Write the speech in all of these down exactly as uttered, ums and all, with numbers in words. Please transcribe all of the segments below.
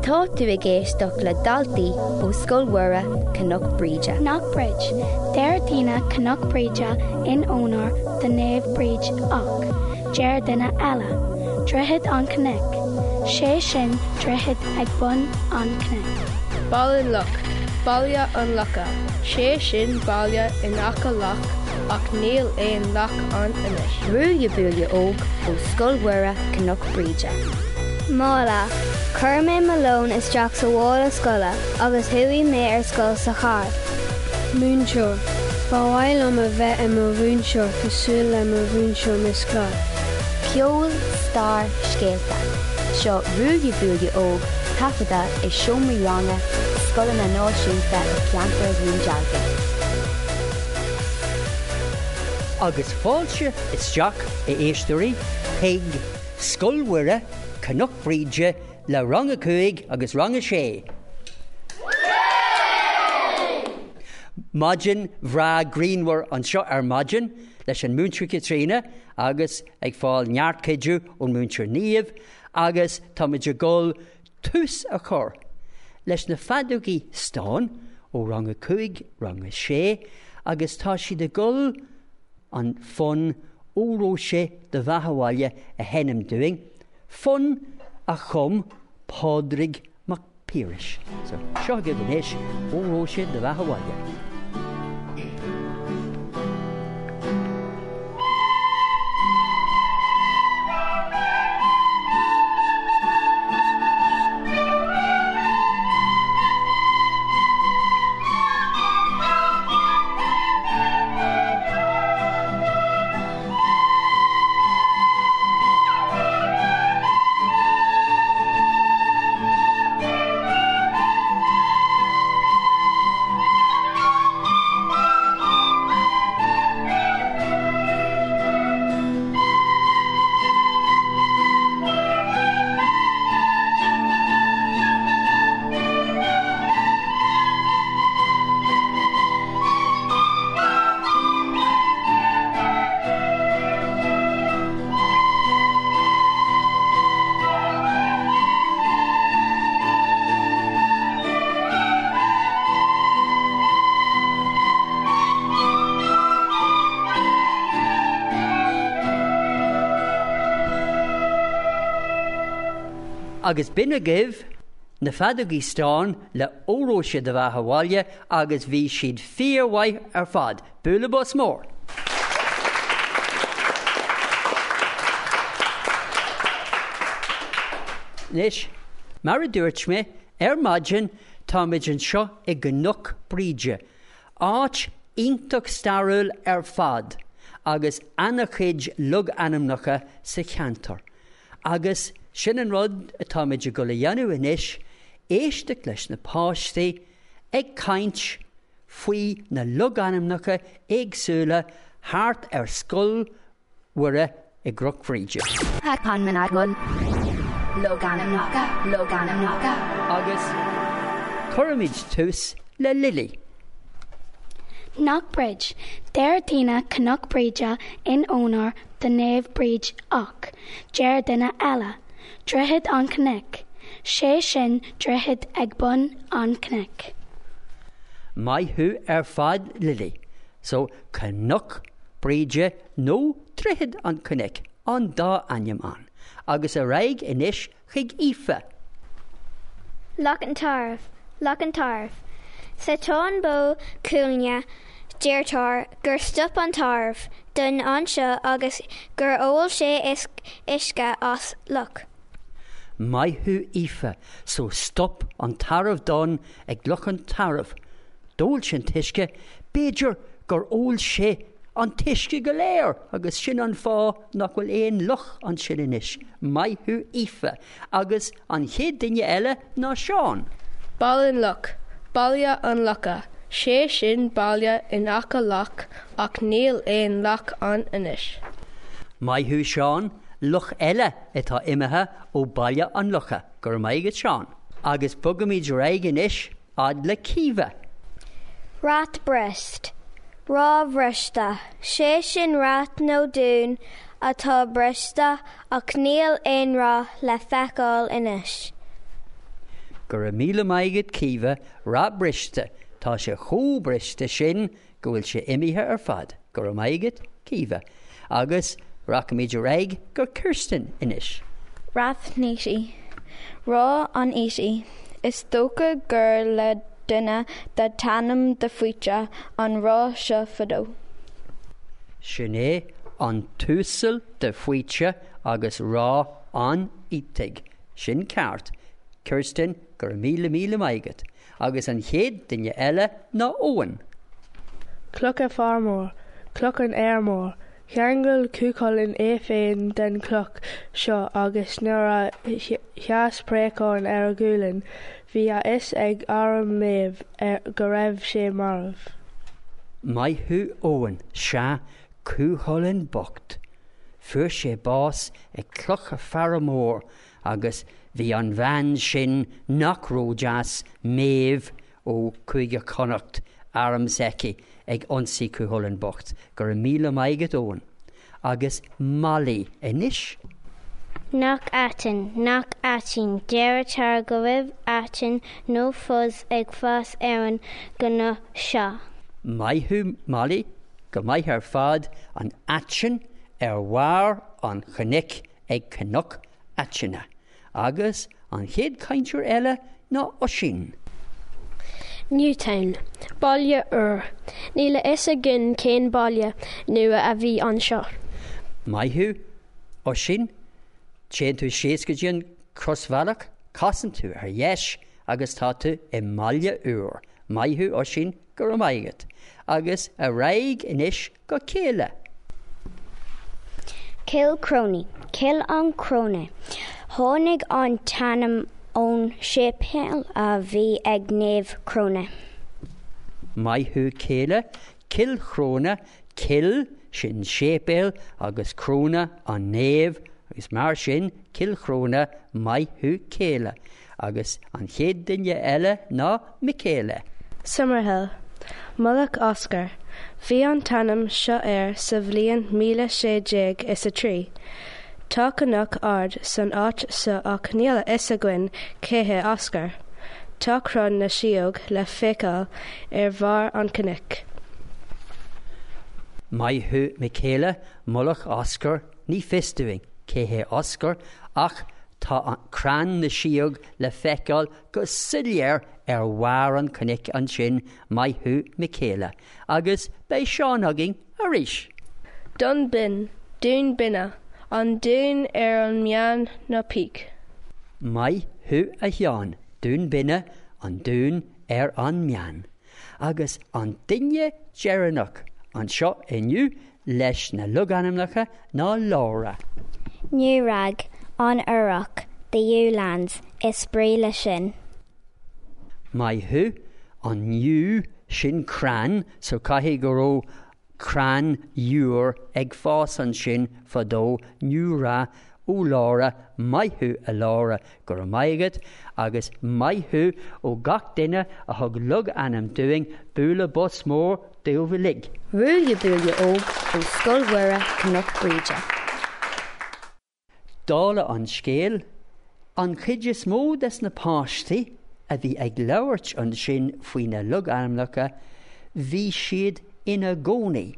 Tá tú ag éisteacht le daltaí ó Scoil Mhuire Cnoc Bríde. Knockbridge. Deir daoine Cnoc Bríde in onóir do Naomh Bríd ach deir duine eile, Droichead an Chnoic, sé sin droichead ag bun an chnoic. Ballinlough, Baile an Locha, sé sin baile in aice loch ach níl aon loch ann anois. Ruaille Buaille Óg ó Scoil Mhuire Cnoc Bríde. Mála, Chuir mé mo lón isteach sa mhála scoile agus chuaigh mé ar scoil sa charr. Múinteoir, Ba mhaith liom a bheith i mo mhúinteoir cosúil le mo mhúinteoir Miss Clark. Ceol, stair, scéalta. Seo Ruaille Buaille Óg taifeadta i seomraí ranga scoileanna náisiúnta i gceantar Dhún Dealgan. Agus fáilte isteach a éisteoirí chuig Scoil Mhuire Cnoc Bríde le rang a cúig agus rang a sé. Maidin bhreá grianmhar anseo ar maidin leis an múinteoir Caitríona agus ag fáil neart cuidiú ón múinteoir Niamh agus táimid ag dul tús a chur leis na feadógaí stáin ó rang a cúig rang a sé agus tá siad ag dul an fonn Óró Sé do Bheatha 'Bhaile a sheinm dúinn, fonn a chum Pádraig Mac Piarais. So seo agaibh anois Óró Sé do Bheatha 'Bhaile. Agus b'in agaibh na feadógaí stáin le Óró Sé do Bheatha 'Bhaile agus bhí siad fíormhaith ar fad. Bualadh bos mór. Anois, mar a dúirt mé, ar maidin táimid anseo i gCnoc Bríde, áit iontach stairiúil ar fad agus an-chuid logainmneacha sa cheantar. Agus sin an rud atáimid ag dul a dhéanamh anois, éisteacht leis na páistí ag caint faoi na logainmneacha éagsúla thart ar Scoil Mhuire i gCnoc Bhríde. Logainmneacha, logainmneacha. Agus cuirfimid tús le Lily. Knockbridge. Deir daoine Cnoc Bríde in onóir do Naomh Bríd ach deir duine eile, Droichead an Chnoic, sé sin droichead ag bun an chnoic. Maith thú ar fad Lily. So Cnoc Bríde nó Droichead an Chnoic an dá ainm ann. Agus ar aghaidh anois chuig Aoife. Loch an Tairbh, Loch an Tairbh. Sa Táin Bó Cúailgne deirtear gur stop an tarbh donn anseo agus gur ól sé uisce as loch. Maith thú Aoife, so stop an tarbh donn ag Loch an Tairbh. D'ól sé an t-uisce, b'fhéidir gur ól sé an t-uisce go léir agus sin an fáth nach bhfuil aon loch ansin anois. Maith thú Aoife, agus an chéad duine eile ná Seán. Ballinlough, Baile an Locha, sé sin baile in aice loch ach níl aon loch ann anois. Maith thú Seán, loch eile atá imithe ó Baile an Locha, go raibh maith agat Seán. Agus bogaimid ar aghaidh anois fhad le Caoimhe. Rathbrist, Ráth Bhriste, sé sin rath nó dún atá briste ach níl aon rath le feiceáil anois. Go raibh míle maith agat Caoimhe, Ráth Briste, tá sé chomh briste sin go bhfuil sé imithe ar fad. Go raibh maith agat Caoimhe. Agus rachaimid ar aghaidh go Kirsten anois. Rath Neaty. Ráth an Fhaoitigh. Is dócha gur le duine den t-ainm de Faoite an ráth seo fadó. Sin é an tUasal de Faoite agus Ráth an Fhaoitigh. Sin ceart. Kirsten, go raibh míle míle maith agat. Agus an chéad duine eile ná Eoin. Clocha Fearmór, Cloch an Fheirmeoir, Cheangail Cú Chulainn é féin den chloch seo agus nuair a sheas préachán ar a ghualainn, bhí a fhios ag arm Méabh go raibh sé marbh. Maith thú Eoin, sea, Cú Chulainn bocht. Fuair sé bás ag Clocha Fearmór agus bhí an bhean sin nach ródheas Méabh ó Chúige Chonnacht arm s'aici ag ionsaí Cú Chulainn bocht, go raibh míle maith agat Eoin. Agus Molly anois. Cnoc Aitinn, Cnoc Aitinn, deirtear go raibh aiteann nó fuzz ag fás ar an gcnoc seo. Maith thú Molly, go maith ar fad an aiteann ar bharr an chnoic ag Cnoc Aitinne. Agus an chéad chainteoir eile ná Oisín. Newtown, Baile Úr. Níl a fhios againn cén baile nua a bhí anseo. Maith thú, Oisín, téann tú síos go dtí an crosbhealach, casann tú ar dheis agus tá tú i mBaile Úr. Maith thú Oisín, go raibh maith agat. Agus ar aghaidh anois go Céile. Cill Chróine, Cill an Chróine. Tháinig an t-ainm ón séipéal a bhí ag Naomh Cróine. Maith thú Céile, Cill Chróine, Cill sin séipéal agus Cróine an naomh agus mar sin Cill Chróine maith thú Céile. Agus an chéad duine eile ná Michaela. Summerhill, Mullach Oscar. Bhí an t-ainm seo air sa bhliain míle sé déag is a trí. Tá cnoc ard san áit seo ach níl a fhios againn cé hé Oscar. Tá crann na sióg le feiceáil ar bharr an chnoic. Maith thú Michaela, Mullach Oscar, ní fios dúinn cé hé Oscar ach tá an crann na sióg le feiceáil go soiléir ar bharr an chnoic ansin maith thú Michaela, agus beidh Seán againn arís. Dún Binn, Dún Binne, an dún ar an mbeann na peak. Maith thú a Sheáin, Dún Binne, an dún ar an mbeann. Agus an duine deireanach anseo inniu leis na logainmneacha ná Laura. Newrag, an Earrach, the Ewe Lands, is brí le sin. Maith thú an yew sin crann, so caithfidh go raibh crann iúir ag fás ansin fadó Newra ó Laura, maith thú a Laura go raibh maith agat agus maith thú ó gach duine a thug logainm dúinn bualadh bos mór daoibh uilig. Ruaille Buaille Óg ó Scoil Mhuire Cnoc Bríde. Dála an scéil, an chuid is mó des na páistí a bhí ag labhairt ansin faoi na logainmneacha, bhí siad ina gcónaí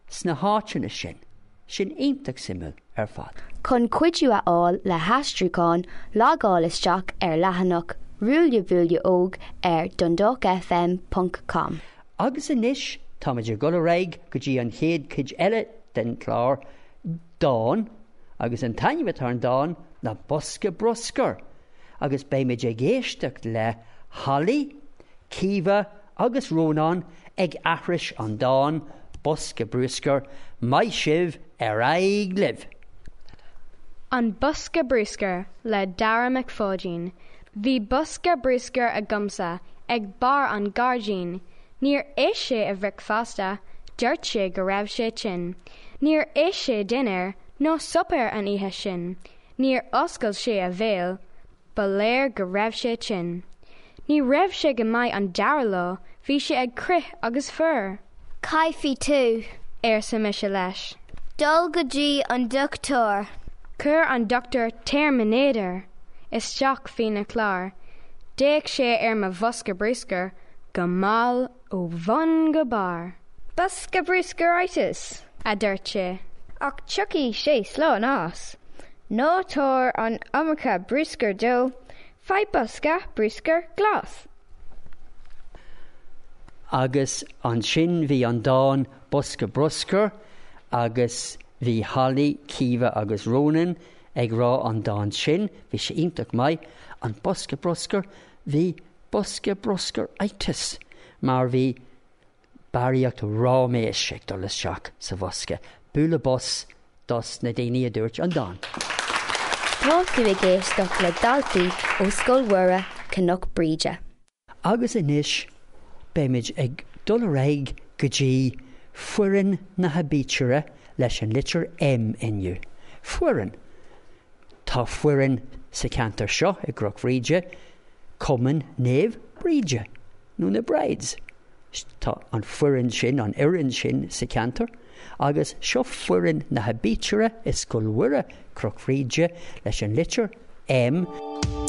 sna háiteanna sin, sin iontach suimiúil ar fad. Chun cuidiú a fháil le haistriúchán, logáil isteach ar leathanach Ruaille Buaille Óg ar dundalk F M ponc com. Agus anois táimid ag dul ar aghaidh go dtí an chéad chuid eile den chlár, dán, agus an t-ainm atá ar an dán ná Bosca Bruscair, agus beimid ag éisteacht le Holly, Caoimhe agus Rónán ag aithris an dán Bosca Bruscair, maith sibh ar aghaidh libh. An Bosca Bruscair le Dara Mac Pháidín. Bhí bosca bruscair agamsa ag barr an ghairdín. Níor ith sé a bhricfeasta, dúirt sé go raibh sé tinn. Níor ith sé dinnéar nó suipéar an oíche sin. Níor oscail sé a bhéal, ba léir go raibh sé tinn. Ní raibh sé go maith an dara lá, bhí sé ag crith agus fuar. Caithfidh tú, arsa mise leis. Dul go dtí an dochtúir. Chuir an dochtúir teirmiméadar isteach faoina chlár. D'fhéach sé ar mo bhosca bruscair go mall ó bhun go barr. Bosca bruscaritis, a dúirt sé. Ach tiocfaidh sé slán as. Ná tabhair an iomarca bruscair dó, faigh bosca bruscair glas. Agus ansin bhí an dán Bosca Bruscair agus bhí Holly, Kiva agus Ronan ag rá an dán sin, bhí sé iontach maith, an bosca bruscair, bhí bosca bruscairitis mar bhí barraíocht ráiméis ag dul isteach sa bhosca. Bualadh bos dos na daoine a dúirt an dán. Tá tú ag éisteacht le daltaí ó Scoil Mhuire Cnoc Bríde. Agus anois beimid ag dul ar aghaidh go dtí foireann na haibítre leis an litir M inniu. Foireann. Tá foireann sa cheantar seo i gCnoc Bhríde, Cumann Naomh Bríde nó na Brides. Tá an foireann sin an fhoireann sin sa cheantar, agus seo foireann na haibítre i Scoil Mhuire Cnoc Bhríde leis an litir M.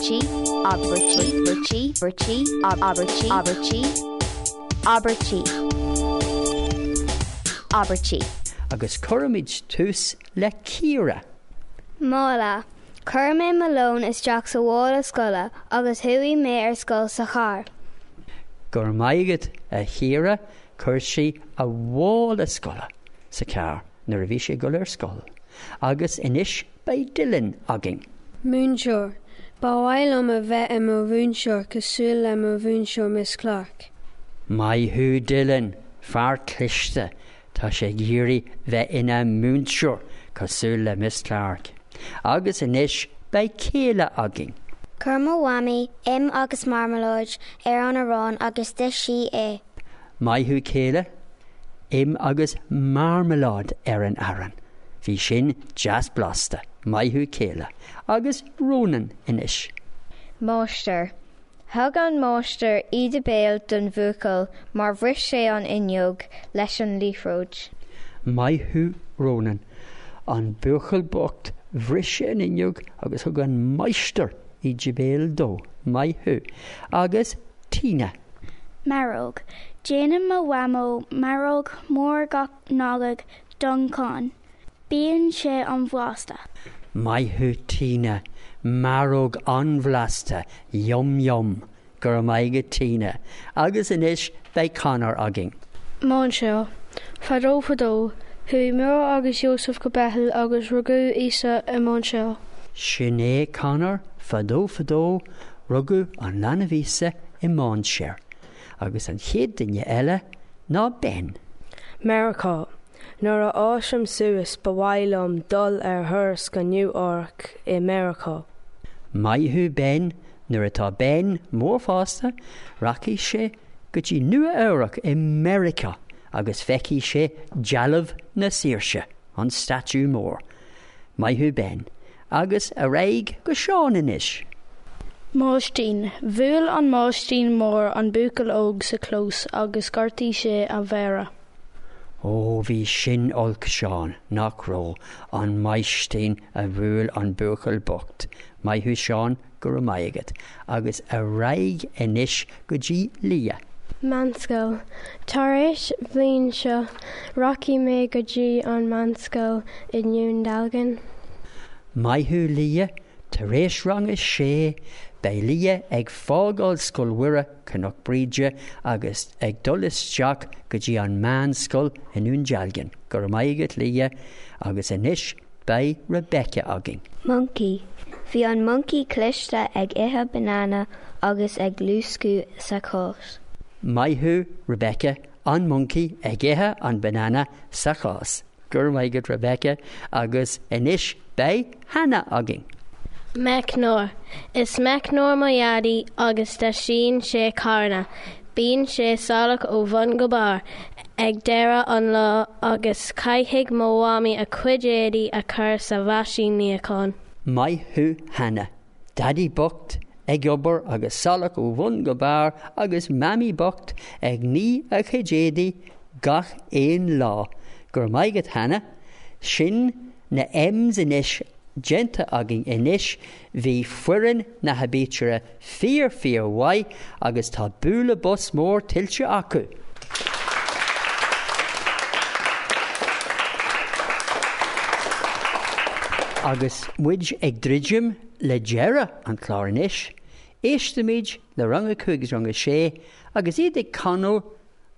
G abairtí abairtí abairtí abairtí abairtí abairtí abairtí. Agus cuirfimid tús le Ciara. Mála. Chuir mé mo lón isteach sa mhála scoile agus chuaigh mé ar scoil sa charr. Go raibh maith agat a Chiara chuir sí a mhála scoile sa charr nuair a bhí sé ag dul ar scoil. Agus anois beidh Dylan againn. Múinteoir, Ba mhaith liom a bheith i mo mhúinteoir cosúil le mo mhúinteoir Miss Clark. Maith thú Dylan, fear cliste, tá sé ag iarraidh bheith ina mhúinteoir cosúil le Miss Clark. Agus anois beidh Céile againn. Chuir mo mhamaí im agus marmaláid ar an arán agus d'ith sí é. Maith thú Céile, im agus marmaláid ar an arán. Bhí sin deas blasta, maith thú Céile, agus Ronan anois. Máistir. Thug an máistir íde béil don bhuachaill mar bhris sé an fhuinneog leis an liathróid. Maith thú Ronan, an buachaill bocht bhris sé an fhuinneog agus thug an máistir íde béil dó, maith thú, agus Tina. Maróg. Déanann mo mhamó maróg mór gach Nollaig don chlann. Bíonn sé an-bhlasta. Maith thú Tina, maróg an-bhlasta, yum yum, go raibh maith agat Tina, agus anois beidh Conor againn. Mainséar. Fadó fadó, chuaigh Muire agus Joseph go Beithil agus rugadh Íosa i mainséar. Sin é Conor, fadó fadó, rugadh an leanbh Íosa i mainséar. Agus an chéad duine eile ná Ben. Meiriceá. Nuair a fhásaim suas ba mhaith liom dul ar thuras go Nua Eabhrac i Meiriceá. Maith thú Ben, nuair atá Ben mór fásta, rachaidh sé go dtí Nua Eabhrac i Meiriceá agus feicfidh sé dealbh na saoirse, an statue mór. Maith thú Ben, agus ar aghaidh go Seán anois. Máistín, Bhuail an máistín mór an buachaill óg sa chlós agus ghortaigh sé a mhéara. Ó bhí sin olc Seán nach raibh an máistín a bhuail an buachaill bocht. Maith thú Seán go raibh maith agat, agus ar aghaidh anois go dtí Lia. Meánscoil. Tar éis bhliain seo, rachaidh mé go dtí an meánscoil i nDún Dealgan. Maith thú Lia, tar éis rang a sé, beidh Lia ag fágáil Scoil Mhuire Cnoc Bríde agus ag dul isteach go dtí an meánscoil i nDún Dealgan. Go raibh maith agat Lia agus anois beidh Rebecca againn. Monkey. Bhí an monkey cliste ag ithe banana agus ag luascadh sa chás. Maith thú Rebecca an monkey ag ithe an banana sa chás. Go raibh maith agat Rebecca agus anois beidh Hannah againn. Meicneoir. Is meicneoir mo dhaidí agus deisíonn sé carranna. Bíonn sé salach ó bhun go barr ag deireadh an lá agus caithfidh mo mhamaí a cuid éadaí a chur sa mheaisín níocháin. Maith thú Hannah. Daddy bocht ag obair agus salach ó bhun go barr agus mamaí bocht ag ní a chuid éadaí gach aon lá. Go raibh maith agat Hannah, sin na M's anois déanta againn anois, bhí foireann na haibítire fíor fíor mhaith agus tá bualadh bos mór tuillte acu. Agus muid ag druidim le deireadh an chláir anois, éistimid le rang a cúig agus rang a sé agus iad ag canadh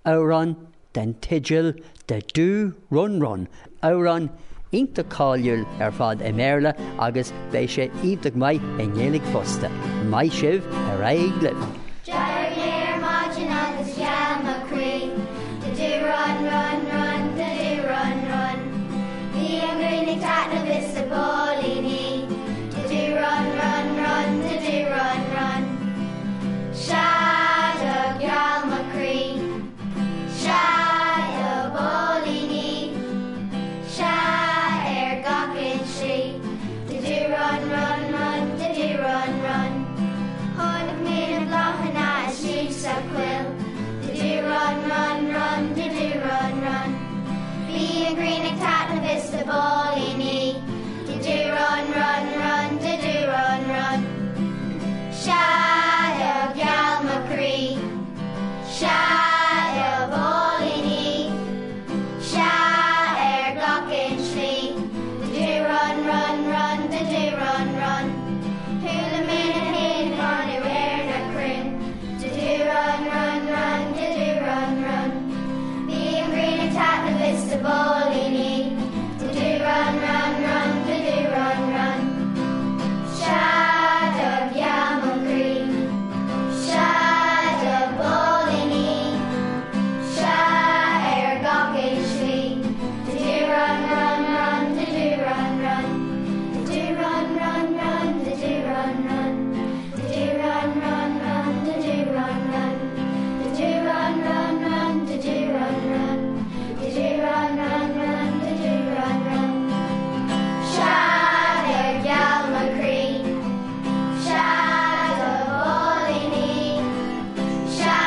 amhrán den teideal The Do Run Run, amhrán iontach cáiliúil ar fad i mBéarla agus beidh sé iontach maith i nGaeilge fosta. Maith sibh ar aghaidh libh. D'éirigh mé ar maidin agus gheal mo chroí. The do run run run, the do run run. Bhí an ghrian ag taitneamh is na póilíní. The do run run run, the do run run. Sea do gheal mo chroí. Sea do bóilíní. Sea ar gach aon slí. The do run run run, the do run run. Tháinig mé na bláthanna istigh sa choill. The do run run run, the do run run. Bhí an ghrian ag taitneamh is na póilíní. The do run run run, the do run run. Sea do gheal mo chroí. Sea do bóilíní. Sea ar gach aon slí. The do run run run, the do run run. Chuala mé na héin ag canadh ar na crainn. The do run run run, the do run run. Bhí an ghrian ag taitneamh is na póilíní. The do run run run, the do run run. Sea do gheal mo chroí. Sea do bóilíní. Sea ar gach aon slí. The do run run run, the do run run. The do run run run, the do run run. The do run run run, the do run run. The do run run run, the do run run. The do run run run, the do run run. Sea do gheal mo chroí. Sea do bóilíní. Sea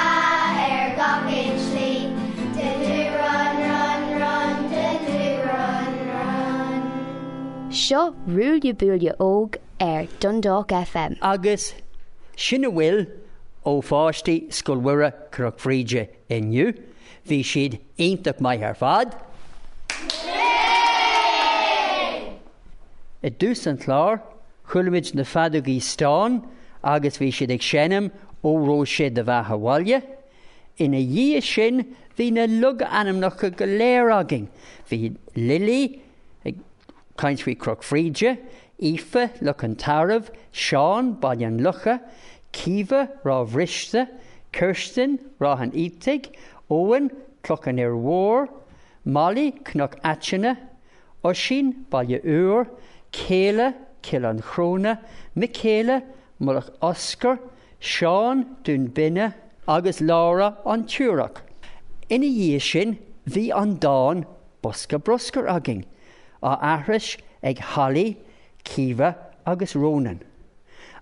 ar gach aon slí. The do run run run, the do run run. Seo Ruaille Buaille Óg ar Dundalk FM. Agus sin a bhfuil ó pháistí Scoil Mhuire Cnoc Bhríde inniu, bhí siad iontach maith ar fad. I dtús an chláir, chuala na feadógaí stáin agus bhí siad ag seinm Ó raibh sé de bheatha abhaile. Ina dhiaidh sin bhí na logainmneacha go léir againn. Bhí Lily ag caint faoi Cnoc Bhríde, Aoife Loch an Tairbh, Seán Baile an Locha, Caoimhe Ráth Bhriste, Kirsten Ráth an Fhaoitigh, Owen Cloch an Fhir Mhóir, Molly Cnoc Aitinne, Oisín Baile Úr, Céile Cill an Chróna, Michaela Mullach Oscar, Seán Dún Binne agus Laura an Tuarach. Ina dhiaidh sin bhí an dán Bosca Bruscair againn, á aithris ag Holly, Caoimhe agus Ronan.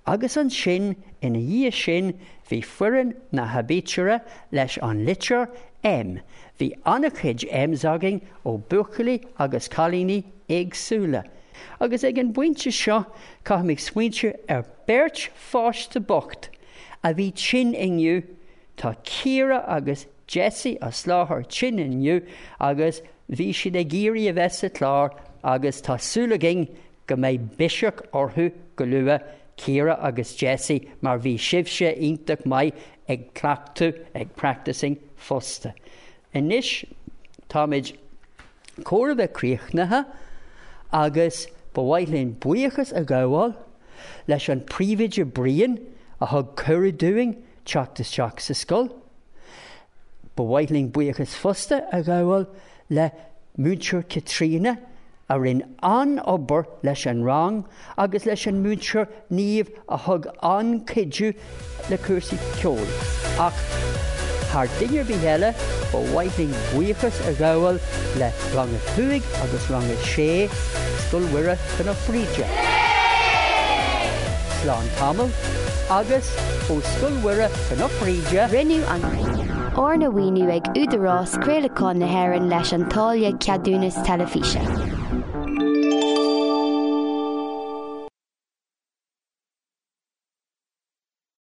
Agus ansin ina dhiaidh sin bhí foireann na haibítire leis an litir M. Bhí an-chuid M's againn ó buachaillí agus cailíní éagsúla. Agus ag an bpointe seo caithfidh smaointiú ar beirt pháiste bocht a bhí tinn inniu, tá Ciara agus Jesse as láthair tinn inniu agus bhí siad ag iarraidh a bheith sa chlár agus tá súil againn go mbeidh biseach orthu go luath Ciara agus Jesse mar bhí sibhse iontach maith ag cleachtadh ag practicing fosta. Anois táimid chóir a bheith críochnaithe agus ba mhaith linn buíochas a ghabháil leis an príomhoide Brian a thug cuireadh dúinn teacht isteach sa scoil. Ba mhaith linn buíochas fosta a ghabháil le múinteoir Caitríona a rinne an-obair leis an rang agus leis an múinteoir Niamh a thug an-chuidiú le cúrsaí ceoil. Ach thar duine ar bith eile ba mhaith linn buíochas a ghabháil le rang a cúig agus rang a sé Scoil Mhuire Cnoc Bhríde. Slán tamall agus ó Scoil Mhuire Cnoc Bhríde. Rinneadh an arna mhaoiniú ag Údarás Craolacháin na hÉireann leis an táille ceadúnas teilifíse.